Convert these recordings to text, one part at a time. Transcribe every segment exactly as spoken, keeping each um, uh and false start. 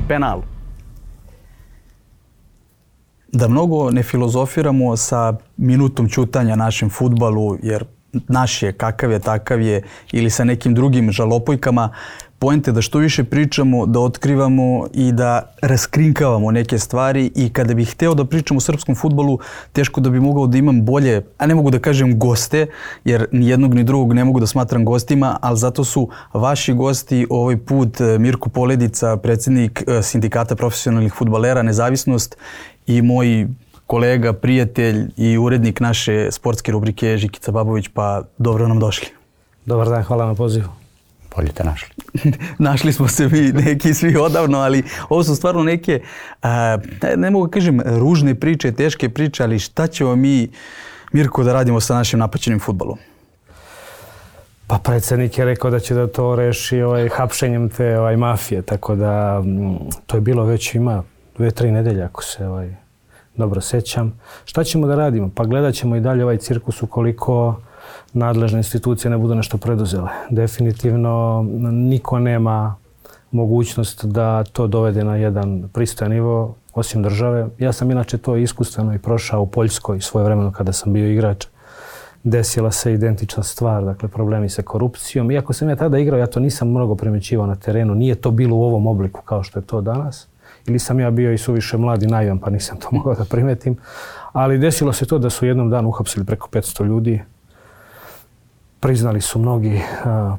penal. Da mnogo ne filozofiramo sa minutom ćutanja našem fudbalu, jer naš je kakav je, takav je, ili sa nekim drugim žalopojkama. Poenta je da što više pričamo, da otkrivamo i da raskrinkavamo neke stvari, i kada bih hteo da pričam o srpskom fudbalu, teško da bi mogao da imam bolje, a ne mogu da kažem goste, jer ni jednog ni drugog ne mogu da smatram gostima, ali zato su vaši gosti ovaj put Mirko Poledica, predsjednik Sindikata profesionalnih fudbalera Nezavisnost, i moj kolega, prijatelj i urednik naše sportske rubrike Žikica Babović. Pa dobro nam došli. Dobar dan, hvala na pozivu. Bolje te našli. Našli smo se mi neki svi odavno, ali ovo su stvarno neke, a, ne mogu kažem ružne priče, teške priče, ali šta ćemo mi, Mirko, da radimo sa našim napaćenim fudbalom? Pa predsjednik je rekao da će da to reši ovaj, hapšenjem te ovaj, mafije, tako da to je bilo već ima dve, tri nedelje, ako se ovaj, dobro sećam. Šta ćemo da radimo? Pa gledat ćemo i dalje ovaj cirkus ukoliko nadležne institucije ne budu nešto preduzele. Definitivno niko nema mogućnost da to dovede na jedan pristojan nivo osim države. Ja sam inače to iskustveno i prošao u Poljskoj svojevremeno kada sam bio igrač. Desila se identična stvar, dakle problemi sa korupcijom. Iako sam ja tada igrao, ja to nisam mnogo primećivao na terenu. Nije to bilo u ovom obliku kao što je to danas. Ili sam ja bio i suviše mlad i naivan, pa nisam to mogao da primetim. Ali desilo se to da su u jednom danu uhapsili preko petsto ljudi. Priznali su mnogi,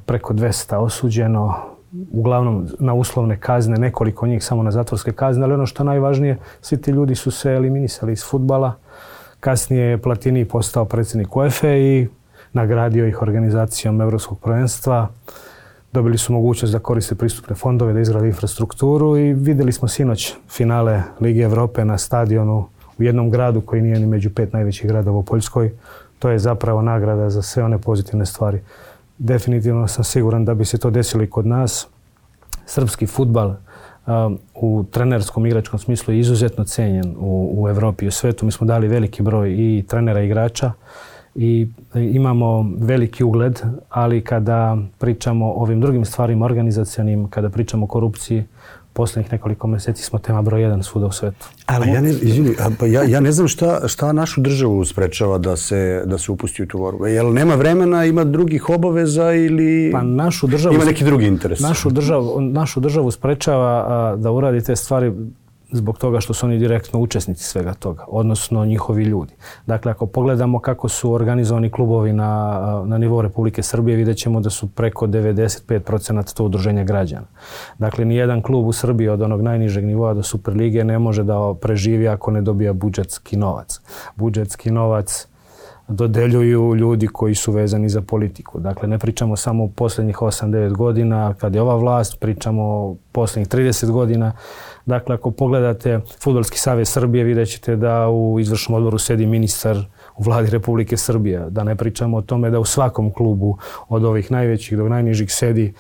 preko dvesta osuđeno, uglavnom na uslovne kazne, nekoliko njih samo na zatvorske kazne, ali ono što najvažnije, svi ti ljudi su se eliminisali iz fudbala. Kasnije je Platini postao predsjednik UEFA i nagradio ih organizacijom Evropskog prvenstva. Dobili su mogućnost da koriste pristupne fondove, da izgrade infrastrukturu, i vidjeli smo sinoć finale Lige Evrope na stadionu u jednom gradu koji nije ni među pet najvećih gradova u Poljskoj. To je zapravo nagrada za sve one pozitivne stvari. Definitivno sam siguran da bi se to desilo i kod nas. Srpski fudbal um, u trenerskom igračkom smislu je izuzetno cenjen u, u Evropi i u svetu. Mi smo dali veliki broj i trenera i igrača i imamo veliki ugled, ali kada pričamo o ovim drugim stvarima organizacionim, kada pričamo o korupciji, posljednjih nekoliko mjeseci smo tema broj jedan svuda u svetu. Ali ja ne, izvini, pa ja, ja ne znam šta, šta našu državu sprečava da se, da se upusti u tu borbu. Jel nema vremena, ima drugih obaveza ili pa našu državu, ima neki drugi interes? Našu državu, našu državu sprečava a, da uradi te stvari zbog toga što su oni direktno učesnici svega toga, odnosno njihovi ljudi. Dakle, ako pogledamo kako su organizovani klubovi na, na nivou Republike Srbije, vidjet ćemo da su preko devedeset pet posto to udruženja građana. Dakle, nijedan klub u Srbiji od onog najnižeg nivoa do Superlige ne može da preživi ako ne dobija budžetski novac. Budžetski novac dodeljuju ljudi koji su vezani za politiku. Dakle, ne pričamo samo u posljednjih osam devet godina kad je ova vlast, pričamo o posljednjih trideset godina. Dakle, ako pogledate Fudbalski savez Srbije, vidjet ćete da u izvršnom odboru sedi ministar u vladi Republike Srbije. Da ne pričamo o tome da u svakom klubu od ovih najvećih do najnižih sedi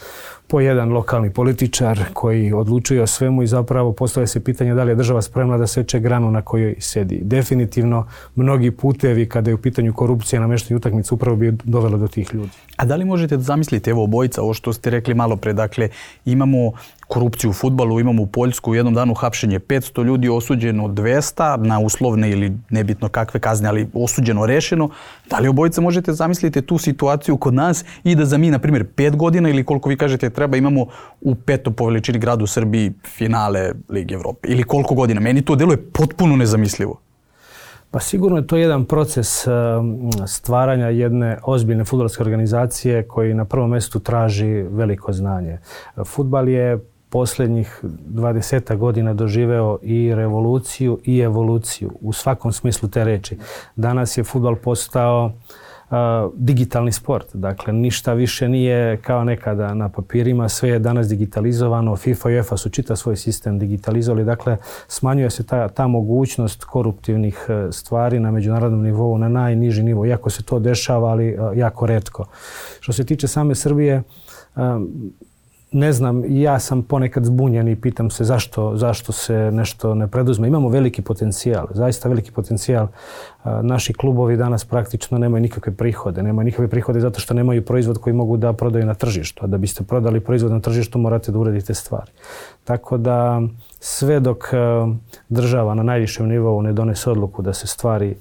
po jedan lokalni političar koji odlučuje o svemu i zapravo postavlja se pitanje da li je država spremna da seče granu na kojoj sedi. Definitivno, mnogi putevi kada je u pitanju korupcije na meštanje utakmice upravo bi dovelo do tih ljudi. A da li možete da zamislite, evo obojica, ovo što ste rekli malo pre, dakle imamo korupciju u fudbalu, imamo u Poljsku u jednom danu hapšenje petsto ljudi, osuđeno dvesta na uslovne ili nebitno kakve kazne, ali osuđeno, rešeno. Da li obojica možete zamisliti tu situaciju kod nas i da za mi, na primjer, pet godina ili koliko vi kažete treba, imamo u petom po veličini gradu u Srbiji finale Lige Evrope? Ili koliko godina? Meni to deluje potpuno nezamislivo. Pa sigurno je to jedan proces stvaranja jedne ozbiljne fudbalske organizacije koji na prvom mjestu traži veliko znanje. Fudbal je posljednjih dvadeset godina doživeo i revoluciju i evoluciju u svakom smislu te reči. Danas je fudbal postao Uh, digitalni sport. Dakle, ništa više nije kao nekada na papirima, sve je danas digitalizovano. FIFA i UEFA su čitav svoj sistem digitalizovali. Dakle, smanjuje se ta, ta mogućnost koruptivnih uh, stvari na međunarodnom nivou, na najniži nivo. Iako se to dešava, ali uh, jako retko. Što se tiče same Srbije, um, ne znam, ja sam ponekad zbunjen i pitam se zašto, zašto se nešto ne preduzme. Imamo veliki potencijal, zaista veliki potencijal. Naši klubovi danas praktično nemaju nikakve prihode. Nemaju nikakve prihode zato što nemaju proizvod koji mogu da prodaju na tržištu. A da biste prodali proizvod na tržištu morate da uredite stvari. Tako da sve dok država na najvišem nivou ne donese odluku da se stvari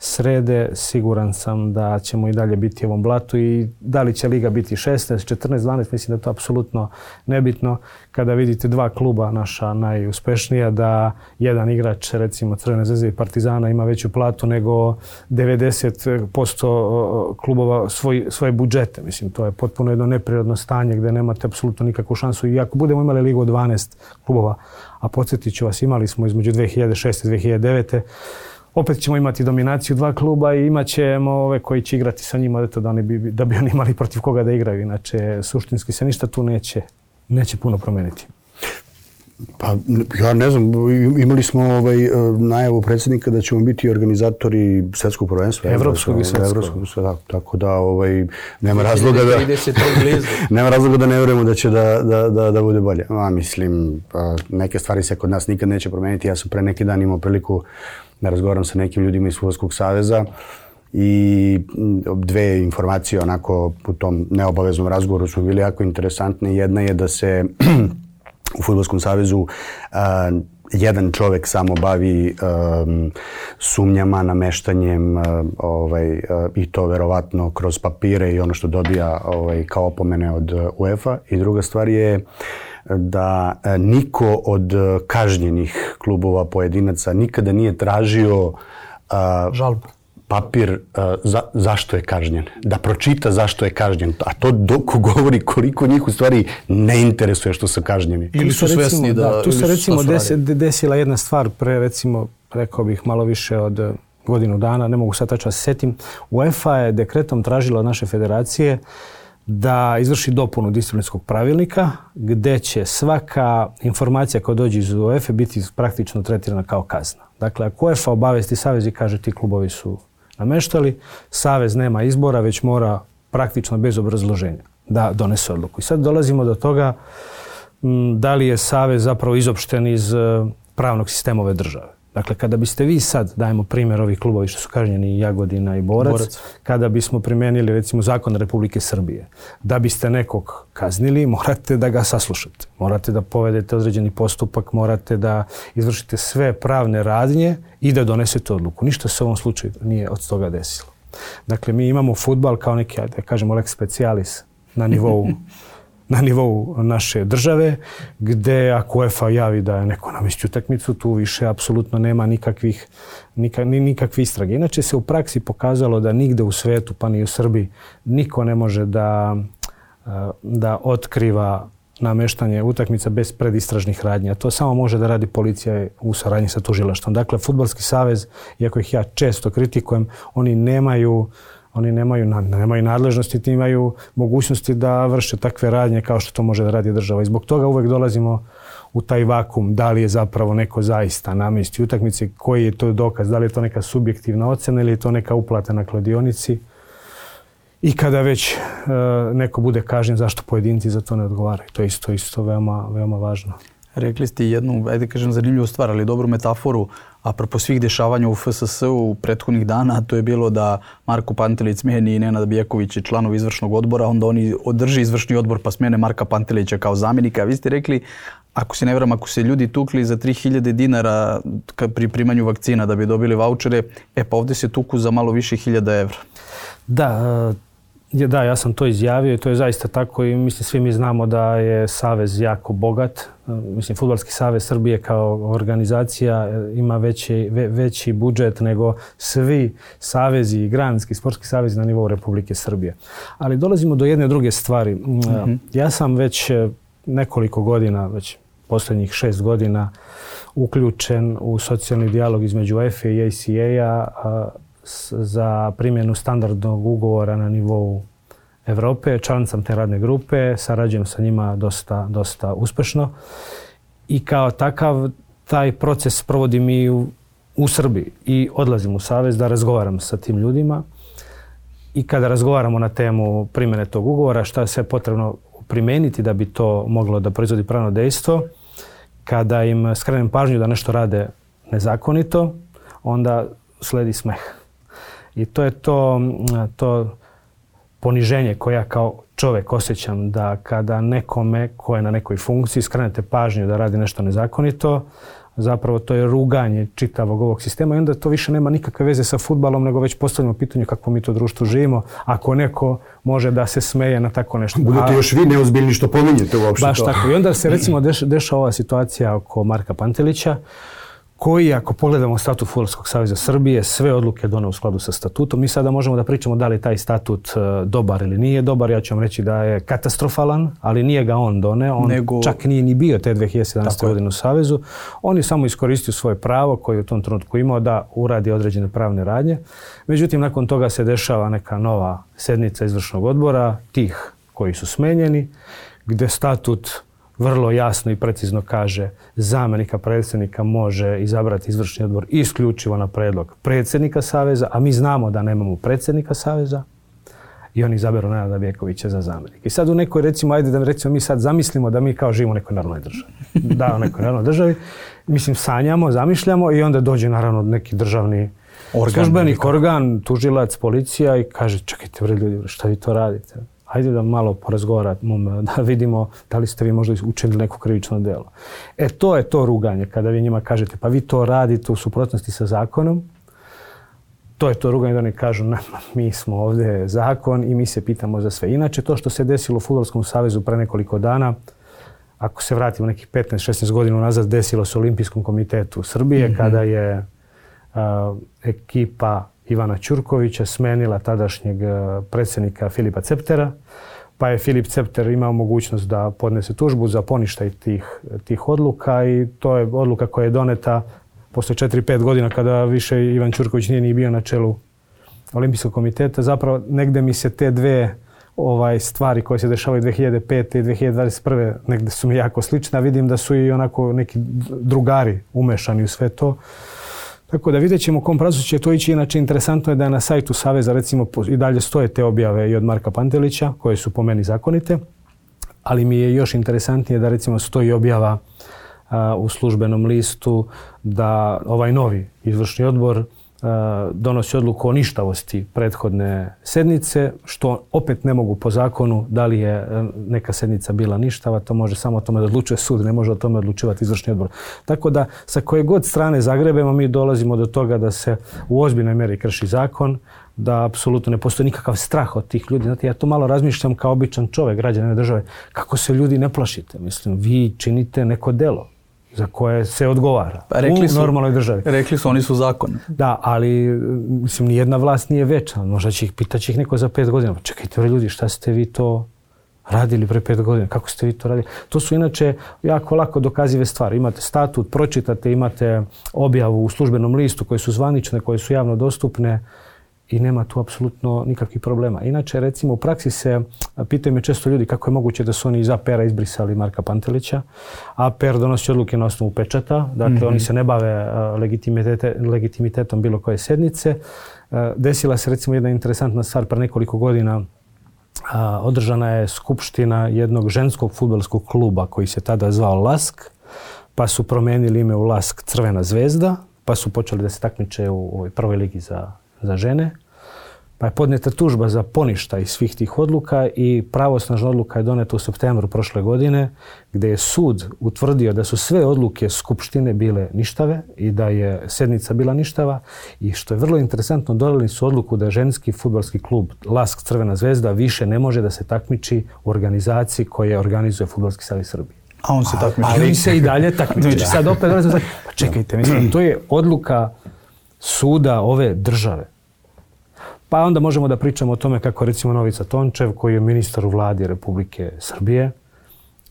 srede, siguran sam da ćemo i dalje biti u ovom blatu i da li će liga biti šesnaest, četrnaest, dvanaest, mislim da je to apsolutno nebitno. Kada vidite dva kluba naša najuspešnija, da jedan igrač, recimo Crvene zvezde i Partizana, ima veću platu nego devedeset posto klubova svoj, svoje budžete. Mislim, to je potpuno jedno neprirodno stanje gdje nemate apsolutno nikakvu šansu. I ako budemo imali ligu od dvanaest klubova, a podsjetit ću vas, imali smo između dve hiljade šeste i dve hiljade devete, opet ćemo imati dominaciju dva kluba i imat ćemo ove koji će igrati sa njima da, oni bi, da bi oni imali protiv koga da igraju. Inače, suštinski se ništa tu neće, neće puno promeniti. Pa ja ne znam, imali smo ovaj, najavu predsjednika da ćemo biti organizatori svjetskog prvenstva. Evropskog i svjetskog. Evropskog, da, tako da ovaj, nema razloga da, blizu. nema razloga da ne vjerujemo da će da, da, da, da bude bolje. A, mislim, neke stvari se kod nas nikad neće promijeniti. Ja sam pre neki dan imao priliku da razgovaram sa nekim ljudima iz Fudbalskog saveza i dve informacije onako u tom neobaveznom razgovoru su bili jako interesantne. Jedna je da se u Fudbalskom savezu uh, jedan čovjek samo bavi um, sumnjama, nameštanjem uh, ovaj, uh, i to verovatno kroz papire i ono što dobija ovaj, kao opomene od uh, UEFA. I druga stvar je da uh, niko od uh, kažnjenih klubova pojedinaca nikada nije tražio uh, žalbu. Papir uh, za, zašto je kažnjen, da pročita zašto je kažnjen, a to dok govori koliko njih u stvari ne interesuje što su kažnjeni. Ili su svjesni da... da tu se recimo desi, desila jedna stvar pre, recimo, rekao bih malo više od godinu dana, ne mogu sad tačno se setim. UEFA je dekretom tražila od naše federacije da izvrši dopunu disciplinskog pravilnika gdje će svaka informacija koja dođe iz UEFA biti praktično tretirana kao kazna. Dakle, ako UEFA obavesti savez i kaže ti klubovi su nameštali, savez nema izbora, već mora praktično bez obrazloženja da donese odluku. I sad dolazimo do toga m, da li je savez zapravo izopšten iz uh, pravnog sistema ove države. Dakle, kada biste vi sad, dajemo primjer ovih klubovi što su kažnjeni, Jagodina i Borac, Borac, kada bismo primijenili recimo zakon Republike Srbije, da biste nekog kaznili, morate da ga saslušate. Morate da povedete određeni postupak, morate da izvršite sve pravne radnje i da donesete odluku. Ništa se u ovom slučaju nije od toga desilo. Dakle, mi imamo fudbal kao neki, da kažemo, lex specialis na nivou na nivou naše države, gdje ako UEFA javi da je neko namestio utakmicu, tu više apsolutno nema nikakvih, nikak, nikakve istrage. Inače se u praksi pokazalo da nigde u svetu, pa ni u Srbiji, niko ne može da, da otkriva nameštanje utakmica bez predistražnih radnji. A to samo može da radi policija u saradnji sa tužilaštvom. Dakle, Fudbalski savez, iako ih ja često kritikujem, oni nemaju Oni nemaju, nemaju nadležnosti, ti imaju mogućnosti da vrše takve radnje kao što to može da radi država. I zbog toga uvek dolazimo u taj vakum, da li je zapravo neko zaista namesti utakmice, koji je to dokaz, da li je to neka subjektivna ocena ili je to neka uplata na kladionici. I kada već e, neko bude kažnjen, zašto pojedinci za to ne odgovaraju. To je isto, isto veoma, veoma važno. Rekli ste jednu, ajde kažem, zanimljivu stvar, ali dobru metaforu, apropo svih dešavanja u F S S-u prethodnih dana, to je bilo da Marko Pantelić smijeni Nenada Bijekovića, članov izvršnog odbora, onda oni održi izvršni odbor pa smijene Marka Pantelića kao zamjenika. Vi ste rekli, ako se ne vjeram, ako se ljudi tukli za tri hiljade dinara pri primanju vakcina da bi dobili vaučere, e pa ovdje se tuku za malo više hiljada evra. Da, da, ja sam to izjavio i to je zaista tako i mislim svi mi znamo da je savez jako bogat. Mislim, Fudbalski savez Srbije kao organizacija ima veći, ve, veći budžet nego svi savezi i granski sportski savezi na nivou Republike Srbije. Ali dolazimo do jedne druge stvari. Mm-hmm. Ja sam već nekoliko godina, već posljednjih šest godina, uključen u socijalni dijalog između UEFA i A C A-a za primjenu standardnog ugovora na nivou Evrope. Član sam te radne grupe, sarađujem sa njima dosta, dosta uspešno i kao takav taj proces provodim i u, u Srbiji i odlazim u savez da razgovaram sa tim ljudima i kada razgovaramo na temu primjene tog ugovora, šta je sve potrebno primijeniti da bi to moglo da proizvodi pravno dejstvo, kada im skrenem pažnju da nešto rade nezakonito, onda sledi smeh. I to je to, to poniženje koje ja kao čovjek osjećam, da kada nekome ko je na nekoj funkciji skrenete pažnju da radi nešto nezakonito, zapravo to je ruganje čitavog ovog sistema i onda to više nema nikakve veze sa fudbalom, nego već postavljamo pitanje kako mi to društvo živimo, ako neko može da se smeje na tako nešto. Budete još vi neozbiljni što pominjete uopšte to. Baš tako. I onda se recimo deš, dešava ova situacija oko Marka Pantelića, koji, ako pogledamo statut Fudbalskog saveza Srbije, sve odluke doneo u skladu sa statutom. Mi sada možemo da pričamo da li taj statut uh, dobar ili nije dobar. Ja ću vam reći da je katastrofalan, ali nije ga on doneo. On Nego... čak nije ni bio te dve hiljade sedamnaeste. godine u Savezu. On je samo iskoristio svoje pravo koje je u tom trenutku imao da uradi određene pravne radnje. Međutim, nakon toga se dešava neka nova sednica izvršnog odbora, tih koji su smenjeni, gde statut vrlo jasno i precizno kaže zamjenika predsjednika može izabrati izvršni odbor isključivo na predlog predsjednika Saveza, a mi znamo da nemamo predsjednika Saveza i oni izaberu Nenada Bjekovića za zamjenika. I sad u nekoj, recimo, ajde da recimo mi sad zamislimo da mi kao živimo u nekoj normalnoj državi. Da, u nekoj normalnoj državi. Mislim, sanjamo, zamišljamo i onda dođe naravno neki državni organ, službenik, organ, tužilac, policija i kaže čekajte bre ljudi, šta vi to radite? Hajde da malo porazgovaramo, da vidimo da li ste vi možda učinili neko krivično djelo. E to je to ruganje, kada vi njima kažete pa vi to radite u suprotnosti sa zakonom. To je to ruganje da oni kažu na, mi smo ovdje zakon i mi se pitamo za sve. Inače to što se desilo u Fudbalskom savezu pre nekoliko dana, ako se vratimo nekih petnaest šesnaest godina nazad, desilo se u Olimpijskom komitetu Srbije mm-hmm. kada je uh, ekipa Ivana Ćurkovića smenila tadašnjeg predsjednika Filipa Ceptera, pa je Filip Cepter imao mogućnost da podnese tužbu za poništaj tih, tih odluka i to je odluka koja je doneta posle četiri pet godina kada više Ivan Ćurković nije ni bio na čelu Olimpijskog komiteta. Zapravo negde mi se te dve ovaj, stvari koje se dešavaju dve hiljade pete i dve hiljade dvadeset prve negde su mi jako slične, a vidim da su i onako neki drugari umešani u sve to. Tako da vidjet ćemo u kom pravcu će to ići. Inače, interesantno je da je na sajtu Saveza recimo i dalje stoje te objave i od Marka Pantelića, koje su po meni zakonite, ali mi je još interesantnije da recimo stoji objava a, u službenom listu da ovaj novi izvršni odbor a, donosi odluku o ništavosti prethodne sednice, što opet ne mogu po zakonu da li je neka sednica bila ništava, to može samo o tome da odlučuje sud, ne može o tome odlučivati izvršni odbor. Tako da sa koje god strane zagrebemo mi dolazimo do toga da se u ozbiljnoj mjeri krši zakon, da apsolutno ne postoji nikakav strah od tih ljudi. Znate, ja to malo razmišljam kao običan čovjek, građanin države, kako se ljudi ne plašite. Mislim, vi činite neko delo za koje se odgovara pa rekli su, u normalnoj državi. Rekli su, oni su zakon. Da, ali mislim, nijedna vlast nije večna. Možda će ih pitati ih neko za pet godina. Čekajte ljudi, šta ste vi to radili pre pet godina? Kako ste vi to radili? To su inače jako lako dokazive stvari. Imate statut, pročitate, imate objavu u službenom listu koje su zvanične, koje su javno dostupne i nema tu apsolutno nikakvih problema. Inače, recimo, u praksi se pitaju me često ljudi kako je moguće da su oni iz A P R-a izbrisali Marka Pantelića. A P R donosi odluke na osnovu pečata, dakle mm-hmm. oni se ne bave legitimite, legitimitetom bilo koje sednice. Desila se recimo jedna interesantna stvar pre nekoliko godina. Održana je skupština jednog ženskog fudbalskog kluba koji se tada zvao Lask, pa su promenili ime u Lask Crvena zvezda, pa su počeli da se takmiče u ovoj prvoj ligi za za žene, pa je podneta tužba za poništaj svih tih odluka i pravosnažna odluka je doneta u septembru prošle godine, gdje je sud utvrdio da su sve odluke skupštine bile ništave i da je sednica bila ništava i što je vrlo interesantno, donijeli su odluku da ženski fudbalski klub Lask Crvena zvezda više ne može da se takmiči u organizaciji koja organizuje Fudbalski savez Srbije. A on se takmiči. Ali se i dalje takmiči. Sad opet dolazimo, pa čekajte, mislim, to je odluka suda ove države. Pa onda možemo da pričamo o tome kako recimo Novica Tončev, koji je ministar u vladi Republike Srbije,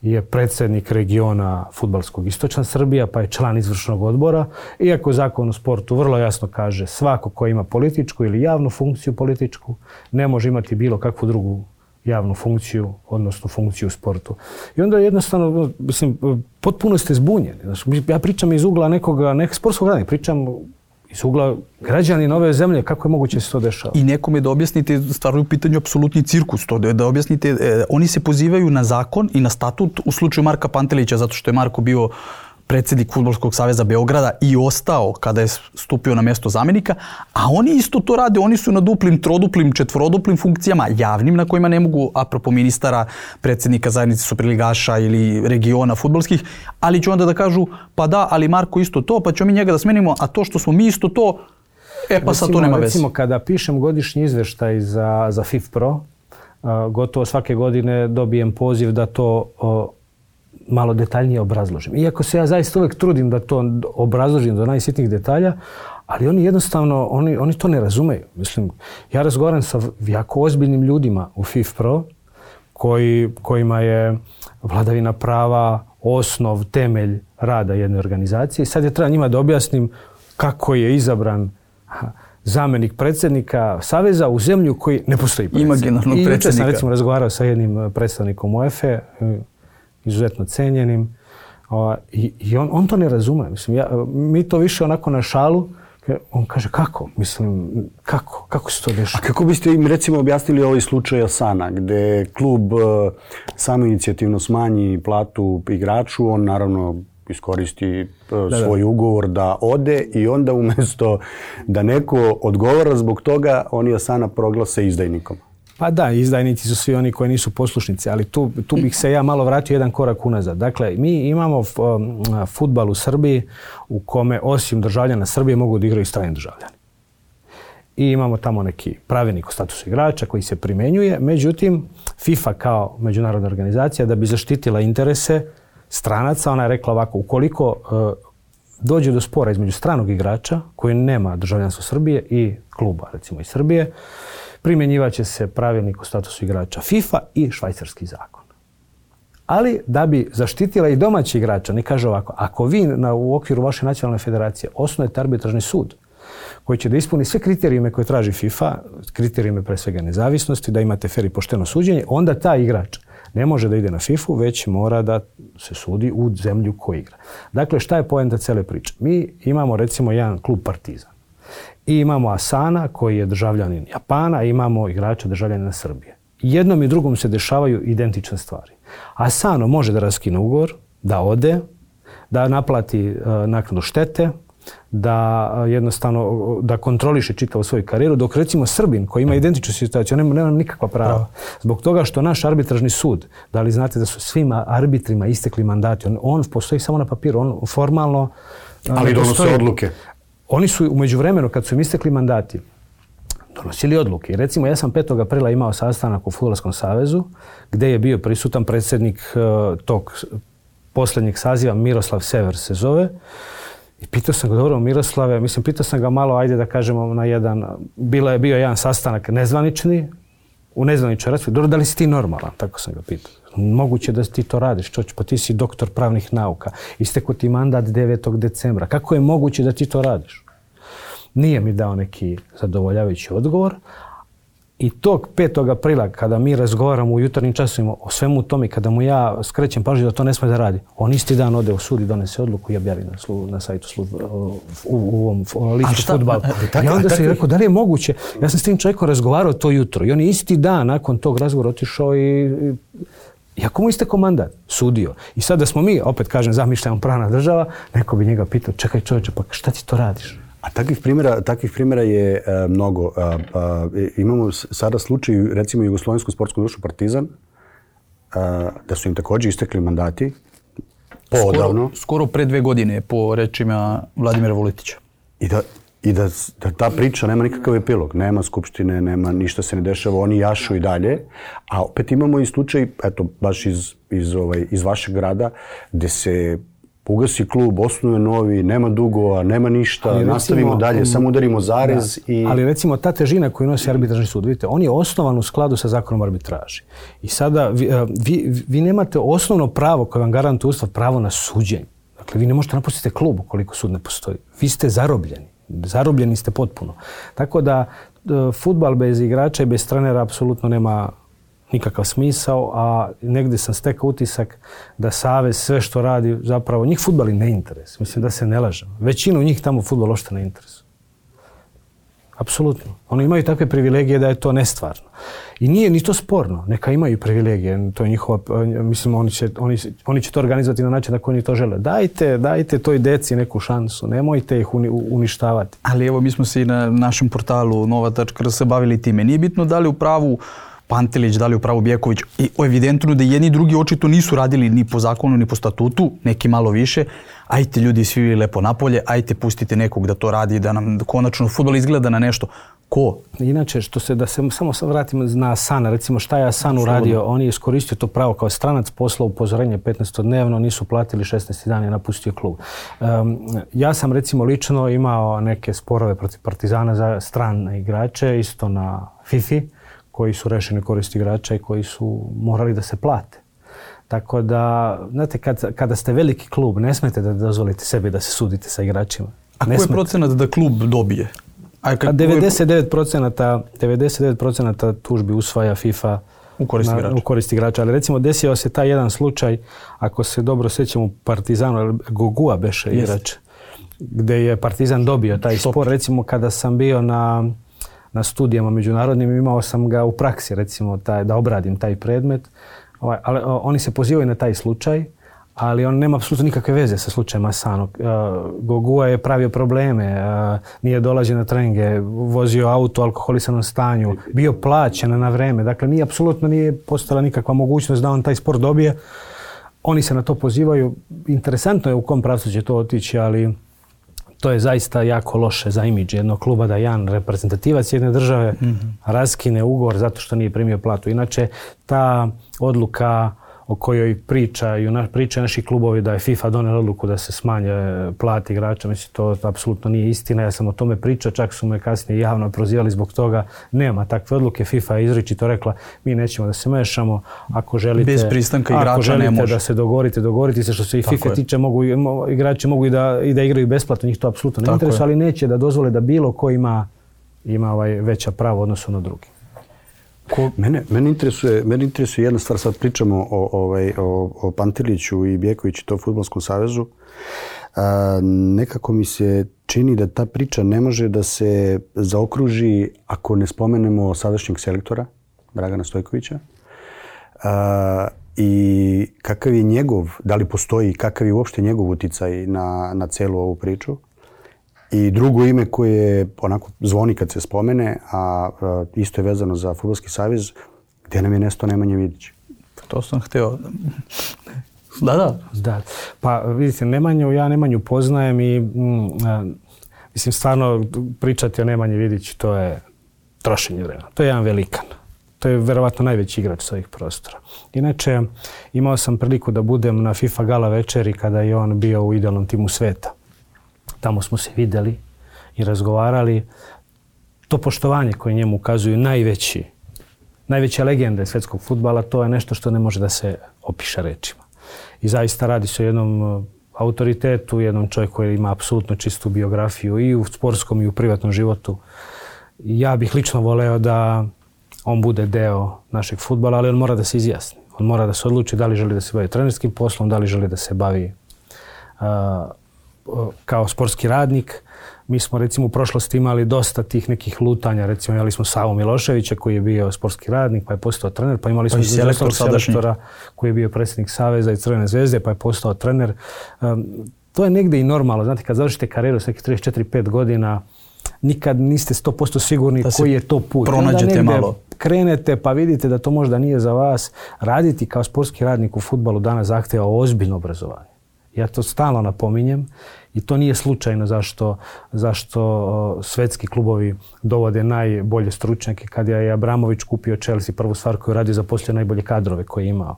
je predsjednik regiona fudbalskog Istočna Srbija, pa je član izvršnog odbora. Iako zakon o sportu vrlo jasno kaže svako ko ima političku ili javnu funkciju političku, ne može imati bilo kakvu drugu javnu funkciju, odnosno funkciju u sportu. I onda jednostavno, mislim, potpuno ste zbunjeni. Znači, ja pričam iz ugla nekoga, nekog sportskog radnika, pričam iz ugla građani nove zemlje, kako je moguće se to dešava? I nekome da objasnite, stvarno je u pitanju apsolutni cirkus, to da, da objasnite, eh, oni se pozivaju na zakon i na statut u slučaju Marka Pantelića, zato što je Marko bio predsjednik Fudbalskog saveza Beograda i ostao kada je stupio na mjesto zamjenika, a oni isto to rade, oni su na duplim, troduplim, četvoroduplim funkcijama, javnim, na kojima ne mogu, apropo ministara, predsjednika zajednice superligaša ili regiona fudbalskih, ali će onda da kažu, pa da, ali Marko isto to, pa ćemo mi njega da smenimo, a to što smo mi isto to, e pa sad to nema veze. Recimo, kada pišem godišnji izveštaj za, za FIFPro, uh, gotovo svake godine dobijem poziv da to uh, malo detaljnije obrazložim. Iako se ja zaista uvijek trudim da to obrazložim do najsitnijih detalja, ali oni jednostavno, oni, oni to ne razumeju. Mislim, ja razgovaram sa jako ozbiljnim ljudima u FIFPro, koji, kojima je vladavina prava osnov, temelj rada jedne organizacije. I sad je treba njima da objasnim kako je izabran zamjenik predsjednika Saveza u zemlju koji ne postoji predsjednik. Imaginarnog I predsjednika. jučer sam recimo razgovarao sa jednim predstavnikom UEFA, izuzetno cijenjenim, i, i on, on to ne razume. Mislim, ja, mi to više onako na šalu, on kaže kako? Mislim, kako? Kako se to dešava? A kako biste im recimo objasnili ovaj slučaj Asana, gdje klub uh, samoinicijativno smanji platu igraču, on naravno iskoristi uh, da, svoj da. ugovor da ode i onda umjesto da neko odgovara zbog toga, oni Asana proglase izdajnikom. Pa da, izdajnici su svi oni koji nisu poslušnici, ali tu, tu bih se ja malo vratio jedan korak unazad. Dakle, mi imamo fudbal u Srbiji u kome osim državljana Srbije mogu da igraju strani državljani. I imamo tamo neki pravilnik o statusu igrača koji se primjenjuje. Međutim, FIFA kao međunarodna organizacija da bi zaštitila interese stranaca, ona je rekla ovako, ukoliko uh, dođe do spora između stranog igrača koji nema državljanstvo Srbije i kluba, recimo iz Srbije, primjenjivaće se pravilnik o statusu igrača FIFA i švajcarski zakon. Ali da bi zaštitila i domaći igrača, ne kaže ovako, ako vi na, u okviru vaše nacionalne federacije osnujete arbitražni sud koji će da ispuni sve kriterijume koje traži FIFA, kriterijume pre svega nezavisnosti, da imate fer i pošteno suđenje, onda taj igrač ne može da ide na fifu, već mora da se sudi u zemlju koju igra. Dakle, šta je poenta cele priče? Mi imamo recimo jedan klub Partizan. I imamo Asana koji je državljanin Japana, i imamo igrača državljanina Srbije. Jednom i drugom se dešavaju identične stvari. Asano može da raskine ugovor, da ode, da naplati uh, naknadu štete, da uh, jednostavno da kontroliše čitavu svoju karijeru, dok recimo Srbin koji ima identičnu situaciju, nema, nema nikakva prava. Zbog toga što naš arbitražni sud, da li znate da su svim arbitrima istekli mandati, on, on postoji samo na papiru, on formalno... Uh, Ali donose odluke. Oni su u međuvremenu, kad su im istekli mandati, donosili odluke. I recimo, ja sam petog aprila imao sastanak u Fudbalskom savezu, gdje je bio prisutan predsjednik uh, tog posljednjeg saziva, Miroslav Sever se zove. I pitao sam ga, dobro, Miroslave, mislim, pitao sam ga malo, ajde da kažemo, na jedan, bila je bio jedan sastanak nezvanični, u nezvaničnoj raspravi. Dobro, da li si ti normalan? Tako sam ga pitao. Moguće da ti to radiš, čoč, pa ti si doktor pravnih nauka. Isteko ti mandat devetog decembra. Kako je moguće da ti to radiš? Nije mi dao neki zadovoljavajući odgovor. I tog petog aprila, kada mi razgovaramo u jutarnjim časovima o svemu tome, kada mu ja skrećem pažnju da to ne sme da radi, on isti dan ode u sud i donese odluku i objavi na, slu, na sajtu slu, u, u ovom listu fudbala. I onda sam rekao, da li je moguće? Ja sam s tim čovjekom razgovarao to jutro i on je isti dan nakon tog razgovora otišao i... i iako mu istekao mandat, sudio. I sad da smo mi, opet kažem, zamišljamo pravna država, neko bi njega pitao, čekaj čovječe, pa šta ti to radiš? A takvih primjera, takvih primjera je e, mnogo. E, e, imamo sada slučaj, recimo, Jugoslovensku sportsku društvu Partizan, e, da su im također istekli mandati, poodavno. Skoro, skoro pre dve godine, po rečima Vladimira Vuletića. I da, i da, da ta priča nema nikakav epilog. Nema skupštine, nema ništa se ne dešava, oni jašu i dalje. A opet imamo i slučaj, eto, baš iz, iz, ovaj, iz vašeg grada, gdje se ugasi klub, osnuje novi, nema dugova, nema ništa, ali nastavimo recimo, dalje, samo udarimo zarez da, i... Ali recimo ta težina koju nosi arbitražni sud, vidite, on je osnovan u skladu sa zakonom arbitraži. I sada vi, vi, vi nemate osnovno pravo koje vam garantuje Ustav, pravo na suđenje. Dakle, vi ne možete napustiti klub ukoliko sud ne postoji. Vi ste zarobljeni. Zarobljeni ste potpuno. Tako da fudbal bez igrača i bez trenera apsolutno nema nikakav smisao, a negdje sam stekao utisak da savez sve što radi zapravo, njih fudbal i ne interes. Mislim da se ne lažem. Većinu njih tamo fudbal ošte ne interes. apsolutno. Oni imaju takve privilegije da je to nestvarno. I nije ni to sporno. Neka imaju privilegije. To je njihova, mislim, oni će, oni, oni će to organizovati na način da oni to žele. Dajte, dajte toj deci neku šansu. Nemojte ih uni, uništavati. Ali evo, mi smo se i na našem portalu nova tačka r s bavili time. Nije bitno da li u pravu Pantelić, da li u pravu Bjeković. I evidentno da jedni i drugi očito nisu radili ni po zakonu, ni po statutu, neki malo više. Ajte ljudi svi lepo napolje, ajte pustite nekog da to radi, da nam konačno fudbal izgleda na nešto. Ko? Inače, što se, da se samo vratim na Asana, recimo šta je Asan uradio, on je iskoristio to pravo kao stranac, poslao upozorenje petnaestodnevno, nisu platili šesnaest dana i napustio klub. Um, ja sam recimo lično imao neke sporove protiv Partizana za strane igrače, isto na FIFA, koji su rešeni korist igrača i koji su morali da se plate. Tako da, znate, kad, kada ste veliki klub, ne smete da dozvolite sebi da se sudite sa igračima. A koji je procenat da klub dobije? A kad devedeset devet procenata, devedeset devet procenata tužbi usvaja FIFA u korist, na, igrača. u korist igrača. Ali recimo desio se taj jedan slučaj, ako se dobro sjećam u Partizanu, Gogua beše igrač, gdje je Partizan dobio taj Stop. spor. Recimo kada sam bio na, na studijama međunarodnim, imao sam ga u praksi, recimo taj, da obradim taj predmet. Ovaj, ali oni se pozivaju na taj slučaj, ali on nema apsolutno nikakve veze sa slučajem Asano. Uh, Gogua je pravio probleme, uh, nije dolazio na treninge, vozio auto u alkoholisanom stanju, bio plaćen na vreme. Dakle, nije apsolutno nije postojala nikakva mogućnost da on taj sport dobije. Oni se na to pozivaju. Interesantno je u kom pravcu će to otići, ali to je zaista jako loše za imidž jednog kluba da jedan reprezentativac jedne države mm-hmm. raskine ugovor zato što nije primio platu. Inače, ta odluka o kojoj pričaju, pričaju naši klubovi da je FIFA donela odluku da se smanje plati igrača, mislim, to apsolutno nije istina. Ja sam o tome pričao, čak su me kasnije javno prozivali zbog toga. Nema takve odluke. FIFA je izričito rekla, mi nećemo da se mešamo. Ako želite, bez pristanka igrača ako želite ne može. Da se dogovorite, dogovorite se. Što se i FIFA je. tiče, mogu, igrači mogu i da, i da igraju besplatno, njih to apsolutno ne interesuje, ali neće da dozvole da bilo ko ima, ima ovaj veća prava u odnosu na drugi. Ko, mene, mene, interesuje, mene interesuje jedna stvar, sad pričamo o, ovaj, o, o Panteliću i Bjekoviću i to Fudbalskom savezu. A, nekako mi se čini da ta priča ne može da se zaokruži ako ne spomenemo sadašnjeg selektora, Dragana Stojkovića. A, I kakav je njegov, da li postoji, kakav je uopšte njegov uticaj na, na celu ovu priču. I drugo ime koje onako zvoni kad se spomene, a, a isto je vezano za Fudbalski savez, gdje nam je nesto Nemanja Vidić. To sam htio. Da, da. Da. Pa vidite, Nemanju, ja Nemanju poznajem i mm, a, mislim stvarno pričati o Nemanji Vidiću, to je trošenje vremena. To je jedan velikan. To je verovatno najveći igrač s ovih prostora. Inače, imao sam priliku da budem na FIFA gala večeri kada je on bio u idealnom timu sveta. Tamo smo se vidjeli i razgovarali. To poštovanje koje njemu ukazuju najveći, najveća legenda svjetskog fudbala, to je nešto što ne može da se opiše rečima. I zaista radi se o jednom autoritetu, jednom čovjeku koji ima apsolutno čistu biografiju i u sportskom i u privatnom životu. Ja bih lično voleo da on bude deo našeg fudbala, ali on mora da se izjasni. On mora da se odluči da li želi da se bavi trenerskim poslom, da li želi da se bavi uh, kao sportski radnik. Mi smo recimo u prošlosti imali dosta tih nekih lutanja. Recimo imali smo Savu Miloševića koji je bio sportski radnik pa je postao trener. Pa imali smo pa selektor selektora koji je bio predsjednik Saveza i Crvene zvezde pa je postao trener. Um, to je negdje i normalno. Znate, kad završite karijeru s nekih trideset četiri pet godina, nikad niste sto posto sigurni koji je to put. Pronađete malo. Krenete pa vidite da to možda nije za vas. Raditi kao sportski radnik u fudbalu danas zahtjeva ozbiljno obrazovanje. Ja to stalno napominjem i to nije slučajno zašto, zašto svetski klubovi dovode najbolje stručnjake. Kad je Abramović kupio Chelsea, prvu stvar koju radio, zaposlio najbolje kadrove koje je imao.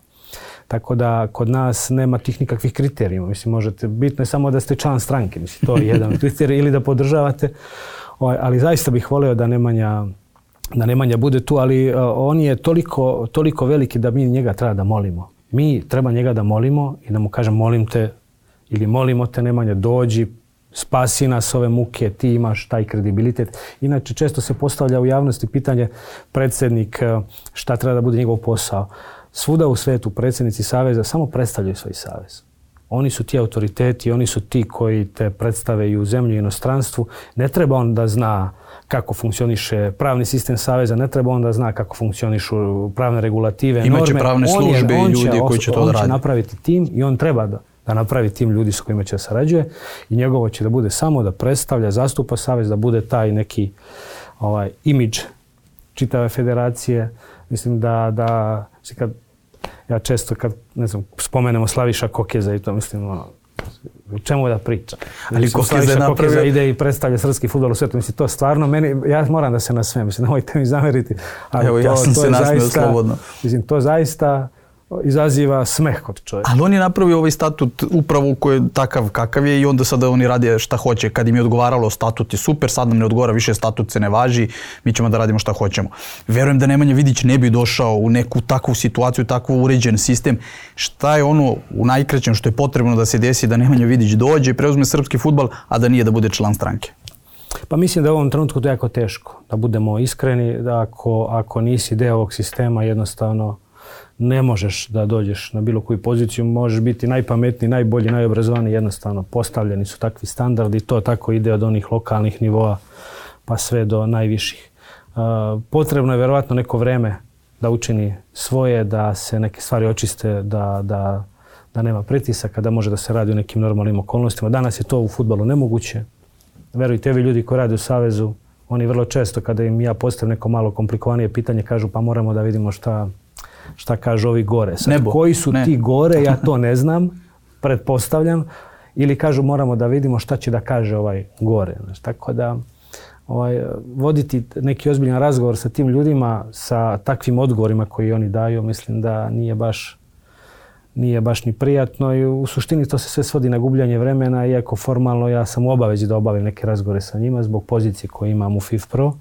Tako da kod nas nema tih nikakvih kriterijuma. Mislim, možete, bitno je samo da ste član stranke. Mislim, to je jedan kriterij ili da podržavate. Ali zaista bih voleo da Nemanja, da Nemanja bude tu, ali on je toliko, toliko veliki da mi njega treba da molimo. Mi treba njega da molimo i da mu kažem molim te ili molimo te Nemanja, dođi, spasi nas ove muke, ti imaš taj kredibilitet. Inače, često se postavlja u javnosti pitanje predsjednik šta treba da bude njegov posao. Svuda u svetu predsjednici saveza samo predstavljaju svoj savez. Oni su ti autoriteti, oni su ti koji te predstave i u zemlji i inostranstvu. Ne treba on da zna kako funkcioniše pravni sistem saveza, ne treba on da zna kako funkcionišu pravne regulative, norme. Imaće pravne službe i ljudi koji će to da radi. On će napraviti tim i on treba da, da napravi tim ljudi s kojima će sarađuje i njegovo će da bude samo da predstavlja, zastupa savez, da bude taj neki ovaj, imidž čitave federacije. Mislim da, da kad, ja često kad ne znam, spomenemo Slaviša Kokeza i to mislim ono, u čemu da priča. Ali Slaviša napravio... Kokeza ide i predstavlja srpski fudbal u svijetu. Mislim, to stvarno meni, ja moram da se nasmijem, mislim, nemojte mi zameriti. Ali evo, to, ja sam to se nasmio slobodno. Mislim, to zaista izaziva smeh kod čovjeka. Ali on je napravio ovaj statut upravo koji je takav kakav je i onda sada oni rade šta hoće. Kad im je odgovaralo statut je super, sad nam ne odgovara, više statut se ne važi, mi ćemo da radimo šta hoćemo. Verujem da Nemanja Vidić ne bi došao u neku takvu situaciju, takvu uređen sistem. Šta je ono u najkraćem što je potrebno da se desi da Nemanja Vidić dođe i preuzme srpski fudbal, a da nije da bude član stranke? Pa mislim da je u ovom trenutku to jako teško. Da budemo iskreni, da ako, ako nisi deo ovog sistema jednostavno ne možeš da dođeš na bilo koju poziciju, možeš biti najpametniji, najbolji, najobrazovaniji, jednostavno postavljeni su takvi standardi, to tako ide od onih lokalnih nivoa pa sve do najviših. Uh, potrebno je verovatno neko vreme da učini svoje, da se neke stvari očiste, da, da, da nema pritisaka, da može da se radi u nekim normalnim okolnostima. Danas je to u fudbalu nemoguće. Verujte, vi ljudi koji rade u Savezu, oni vrlo često kada im ja postavim neko malo komplikovanije pitanje, kažu pa moramo da vidimo šta šta kažu ovi gore. Sad, Nebo. Koji su ne. ti gore, ja to ne znam, pretpostavljam. Ili kažu moramo da vidimo šta će da kaže ovaj gore. Znači, tako da ovaj, voditi neki ozbiljan razgovor sa tim ljudima, sa takvim odgovorima koji oni daju, mislim da nije baš, nije baš ni prijatno i u suštini to se sve svodi na gubljanje vremena, iako formalno ja sam u obavezi da obavim neke razgovore sa njima zbog pozicije koje imam u FIFPro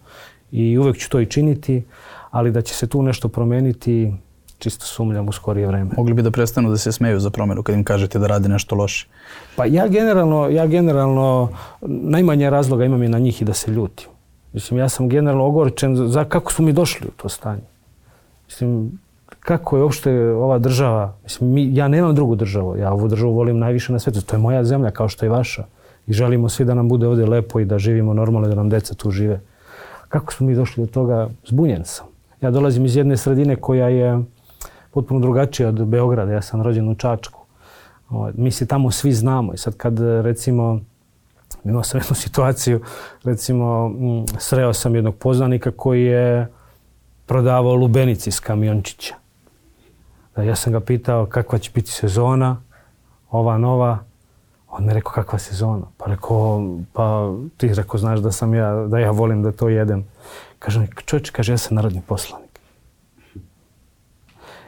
i uvek ću to i činiti, ali da će se tu nešto promeniti, čisto sumnjam u skorije vreme. Mogli bi da prestanu da se smeju za promjenu kad im kažete da rade nešto loše? Pa ja generalno, ja generalno najmanje razloga imam je na njih i da se ljutim. Mislim, ja sam generalno ogorčen za kako smo mi došli u to stanje. Mislim, kako je uopšte ova država, mislim, mi, ja nemam drugu državu, ja ovu državu volim najviše na svijetu, to je moja zemlja kao što je vaša i želimo svi da nam bude ovdje lepo i da živimo normalno, da nam deca tu žive. Kako smo mi došli do toga? Zbunjen sam. Ja dolazim iz jedne sredine koja je potpuno drugačija od Beograda. Ja sam rođen u Čačku. Mi se tamo svi znamo. I sad kad, recimo, imao sam jednu situaciju, recimo, sreo sam jednog poznanika koji je prodavao lubenici iz kamiončića. Ja sam ga pitao kakva će biti sezona, ova nova. On mi rekao kakva sezona. Pa rekao, pa ti rekao, znaš da sam ja, da ja volim da to jedem. Kaže mi, čovječ, kaže, ja sam narodni poslanik.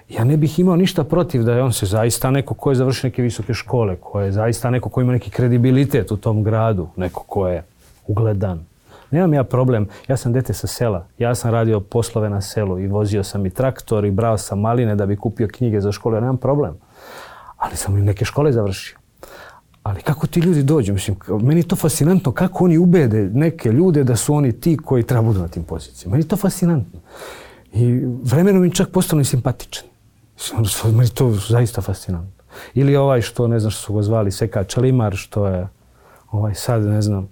Ja ne bih imao ništa protiv da je on se zaista neko ko je završio neke visoke škole, ko je zaista neko ko ima neki kredibilitet u tom gradu, neko ko je ugledan. Nemam ja problem, ja sam dete sa sela, ja sam radio poslove na selu i vozio sam i traktor i brao sam maline da bi kupio knjige za školu, ja nemam problem. Ali sam i neke škole završio. Ali kako ti ljudi dođu? Mislim, meni je to fascinantno kako oni ubede neke ljude da su oni ti koji treba budu na tim pozicijama. Meni je to fascinantno. I vremenom mi čak postanu i simpatični. Meni je to zaista fascinantno. Ili ovaj što, ne znam što su ga zvali, Seka Čelimar, što je ovaj sad, ne znam,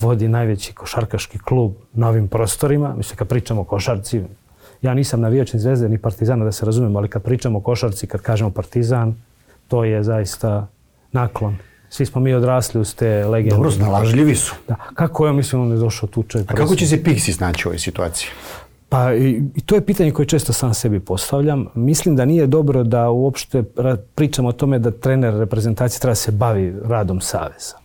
vodi najveći košarkaški klub na ovim prostorima. Mislim, kad pričamo o košarci, ja nisam navijač ni Zvezde ni Partizana, da se razumemo, ali kad pričamo o košarci, kad kažemo Partizan, to je zaista naklon. Svi smo mi odrasli uz te legende. Dobro, snalažljivi su. Da. Kako ja mislim on je došao tu čovjek? A kako će se Pixi snaći u ovoj situaciji? Pa i, i to je pitanje koje često sam sebi postavljam. Mislim da nije dobro da uopšte pričamo o tome da trener reprezentacije treba se bavi radom saveza.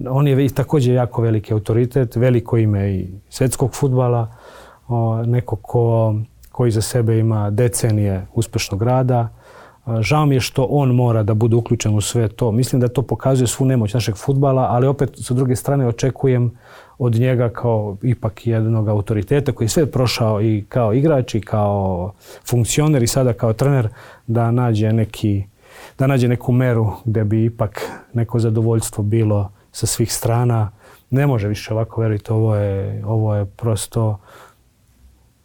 On je također jako veliki autoritet, veliko ime i svjetskog fudbala, o, neko ko, koji za sebe ima decenije uspešnog rada. Žao mi je što on mora da bude uključen u sve to. Mislim da to pokazuje svu nemoć našeg fudbala, ali opet sa druge strane očekujem od njega kao ipak jednog autoriteta koji je sve prošao i kao igrač i kao funkcioner i sada kao trener da nađe, neki, da nađe neku meru gdje bi ipak neko zadovoljstvo bilo sa svih strana. Ne može više ovako, verujte, ovo je, ovo je prosto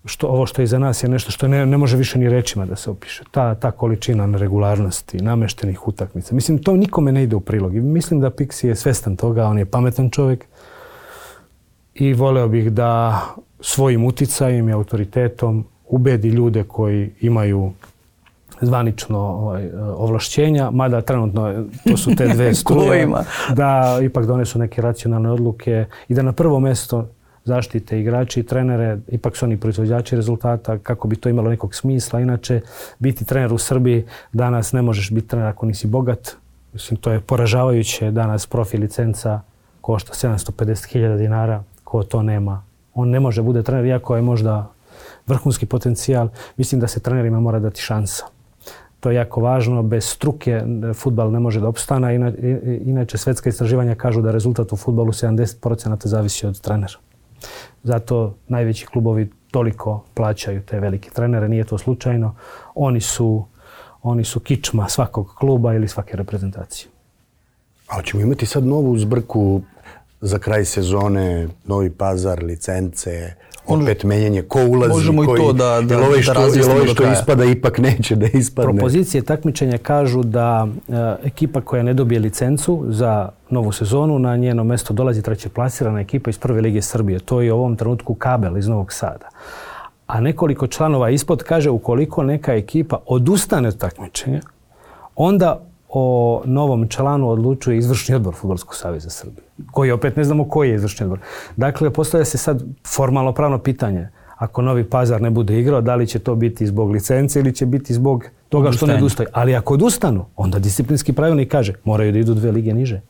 što, ovo što je iza nas je nešto što ne, ne može više ni rečima da se opiše. Ta, ta količina neregularnosti, nameštenih utakmica. Mislim, to nikome ne ide u prilog. I mislim da Pixi je svestan toga, on je pametan čovjek i voleo bih da svojim uticajem i autoritetom ubedi ljude koji imaju zvanično ovaj, ovlašćenja, mada trenutno to su te dve struje, da ipak donesu neke racionalne odluke i da na prvo mjesto zaštite igrači i trenere, ipak su oni proizvođači rezultata, kako bi to imalo nekog smisla. Inače, biti trener u Srbiji danas ne možeš biti trener ako nisi bogat. Mislim, to je poražavajuće. Danas profi licenca košta sedamsto pedeset hiljada dinara. Ko to nema, on ne može bude trener, iako je možda vrhunski potencijal. Mislim da se trenerima mora dati šansa. To je jako važno. Bez struke fudbal ne može da opstana. Inače, svetska istraživanja kažu da rezultat u fudbalu sedamdeset posto zavisi od trenera. Zato najveći klubovi toliko plaćaju te velike trenere. Nije to slučajno. Oni su, oni su kičma svakog kluba ili svake reprezentacije. A hoćemo imati sad novu zbrku za kraj sezone, Novi Pazar, licence, opet menjanje, ko ulazi, možemo koji, i to da, da, ovaj što, da razjasnimo ovaj do što kraja. ispada ipak neće da ispadne. Propozicije takmičenja kažu da e, ekipa koja ne dobije licencu za novu sezonu, na njeno mjesto dolazi treće plasirana ekipa iz Prve lige Srbije. To je u ovom trenutku Kabel iz Novog Sada. A nekoliko članova ispod kaže ukoliko neka ekipa odustane od takmičenja, onda o novom članu odlučuje izvršni odbor Fudbalskog saveza Srbije, koji opet ne znamo koji je izvršni odbor. Dakle, postavlja se sad formalno pravno pitanje. Ako Novi Pazar ne bude igrao, da li će to biti zbog licence ili će biti zbog toga što ne odustaju. Ali ako odustanu, onda disciplinski pravilnik kaže moraju da idu dve lige niže.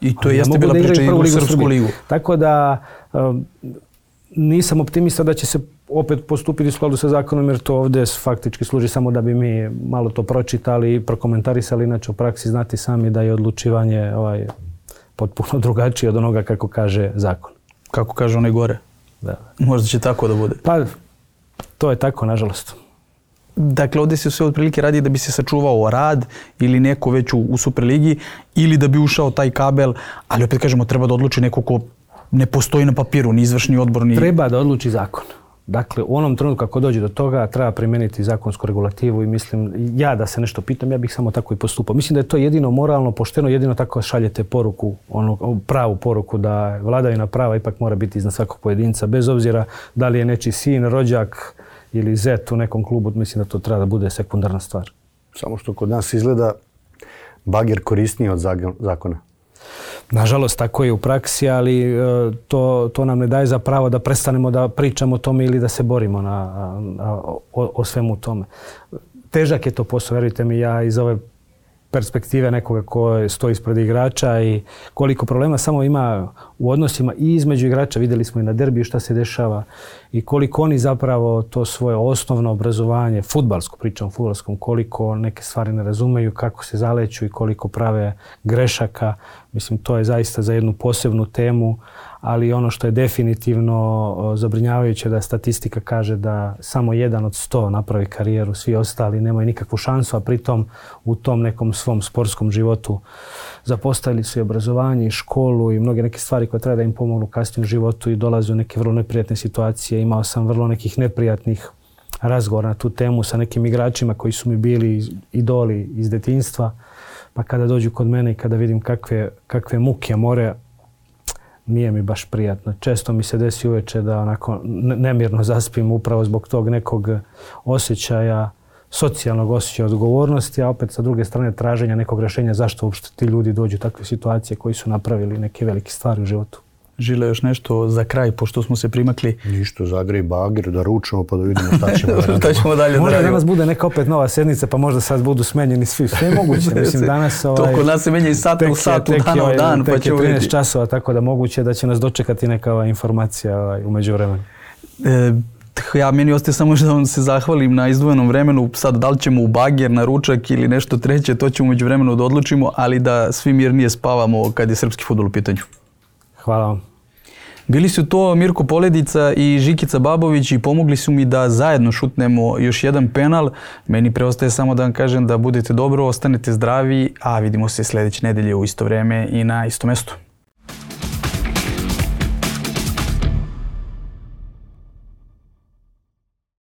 I to jeste bila priča i u Srpsku ligu. Tako da um, nisam optimista da će se opet postupiti u skladu sa zakonom, jer to ovdje faktički služi samo da bi mi malo to pročitali i prokomentarisali. Inače u praksi znati sami da je odlučivanje ovaj, potpuno drugačije od onoga kako kaže zakon. Kako kaže onaj gore. Da. Možda će tako da bude. Pa, to je tako, nažalost. Dakle, ovdje se sve otprilike radi da bi se sačuvao rad ili neko već u, u Superligi ili da bi ušao taj kabel, ali opet kažemo treba da odluči neko ko ne postoji na papiru, ni izvršni odbor, ni... Treba da odluči zakon. Dakle, u onom trenutku kako dođe do toga, treba primijeniti zakonsku regulativu i mislim, ja da se nešto pitam, ja bih samo tako i postupao. Mislim da je to jedino moralno, pošteno, jedino tako šaljete poruku, onu pravu poruku da vladavina prava ipak mora biti iznad svakog pojedinca, bez obzira da li je nečiji sin, rođak ili zet u nekom klubu, mislim da to treba da bude sekundarna stvar. Samo što kod nas izgleda bager korisniji od zakona. Nažalost, tako je u praksi, ali to, to nam ne daje za pravo da prestanemo da pričamo o tome ili da se borimo na, na, o, o svemu tome. Težak je to posao, verujte mi, ja iz ove perspektive nekoga ko stoji ispred igrača i koliko problema samo ima u odnosima i između igrača. Vidjeli smo i na derbiju šta se dešava i koliko oni zapravo to svoje osnovno obrazovanje, fudbalsko, pričam o fudbalskom, koliko neke stvari ne razumeju, kako se zaleću i koliko prave grešaka. Mislim, to je zaista za jednu posebnu temu, ali ono što je definitivno zabrinjavajuće da statistika kaže da samo jedan od sto napravi karijeru, svi ostali nemaju nikakvu šansu, a pritom u tom nekom svom sportskom životu zapostavili su i obrazovanje i školu i mnoge neke stvari koje treba da im pomognu kasnije u životu i dolaze u neke vrlo neprijatne situacije. Imao sam vrlo nekih neprijatnih razgovora na tu temu sa nekim igračima koji su mi bili idoli iz detinjstva, pa kada dođu kod mene i kada vidim kakve, kakve muke more, nije mi baš prijatno. Često mi se desi uveče da onako nemirno zaspim upravo zbog tog nekog osjećaja, socijalnog osjećaja odgovornosti, a opet sa druge strane traženja nekog rješenja zašto uopšte ti ljudi dođu u takve situacije koji su napravili neke velike stvari u životu. Žile, još nešto za kraj, pošto smo se primakli? Ništa, zagrej bager, da ručamo pa da vidimo šta ćemo dalje. šta ćemo dalje možda danas bude neka opet nova sednica, pa možda sad budu smenjeni svi. Sve je moguće. Mislim, danas ovaj, to kod nas se menja iz sata u sat, u dan u dan, pa ćemo vidjeti. trinaest časova, tako da moguće da će nas dočekati neka ova informacija ovaj, u međuvremenu. E, ja meni ostaje samo da vam se zahvalim na izdvojenom vremenu. Sad da li ćemo u bager, na ručak ili nešto treće, to ćemo među vremenu da odlučimo, ali da svi mirnije spavamo kad je srpski fudbal u pitanju. Hvala vam. Bili su to Mirko Poledica i Žikica Babović i pomogli su mi da zajedno šutnemo još jedan penal. Meni preostaje samo da vam kažem da budete dobro, ostanete zdravi, a vidimo se sljedeće nedelje u isto vreme i na isto mjestu.